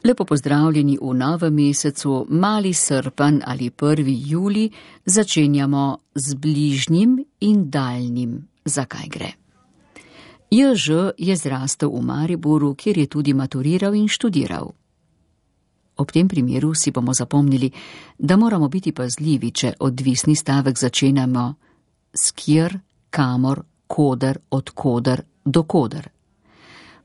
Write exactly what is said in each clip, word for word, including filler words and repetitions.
Lepo pozdravljeni v novem mesecu, mali srpanj ali prvi julij, začenjamo z bližnjim in daljnim. Zakaj gre? Jože je zrastel v Mariboru, kjer je tudi maturiral in študiral. Ob tem primeru si bomo zapomnili, da moramo biti pazljivi, če odvisni stavek začenjamo s kjer, kamor, koder, odkoder, dokoder.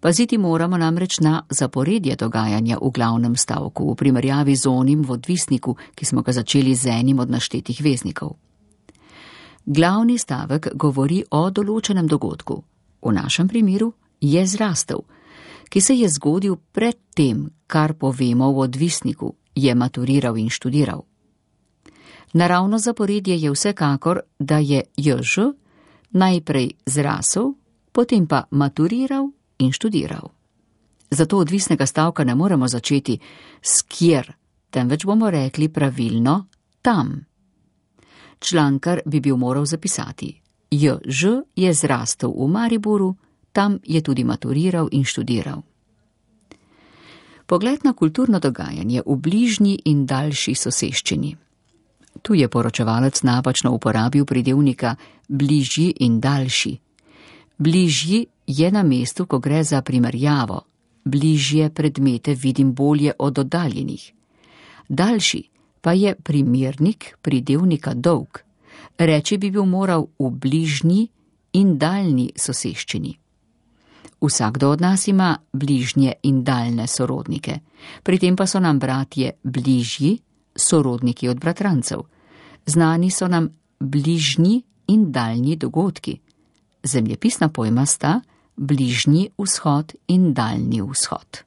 Paziti moramo namreč na zaporedje dogajanja v glavnem stavku, v primerjavi z onim v odvisniku, ki smo ga začeli z enim od naštetih veznikov. Glavni stavek govori o določenem dogodku, v našem primeru je zrastel, ki se je zgodil pred tem, kar povemo v odvisniku, je maturiral in študiral. Naravno zaporedje je vsekakor, da je Jože najprej zrasel, potem pa maturiral in študiral. Zato odvisnega stavka ne moremo začeti s kjer, temveč bomo rekli pravilno tam. Člankar bi bil moral zapisati: Jože je zrastel v Mariboru, tam je tudi maturiral in študiral. Pogled na kulturno dogajanje v bližnji in daljši soseščini. Tu je poročevalec napačno uporabil pridevnika bližji in daljši. Bližji je na mestu, ko gre za primerjavo. Bližje predmete vidim bolje od oddaljenih. Daljši pa je primernik pridevnika dolg. Reči bi bil moral v bližnji in daljni soseščini. Vsakdo od nas ima bližnje in daljne sorodnike. Pri tem pa so nam bratje bližji, sorodniki od bratrancev. Znani so nam bližnji in daljni dogodki. Zemljepisna pojma sta bližnji vzhod in daljni vzhod.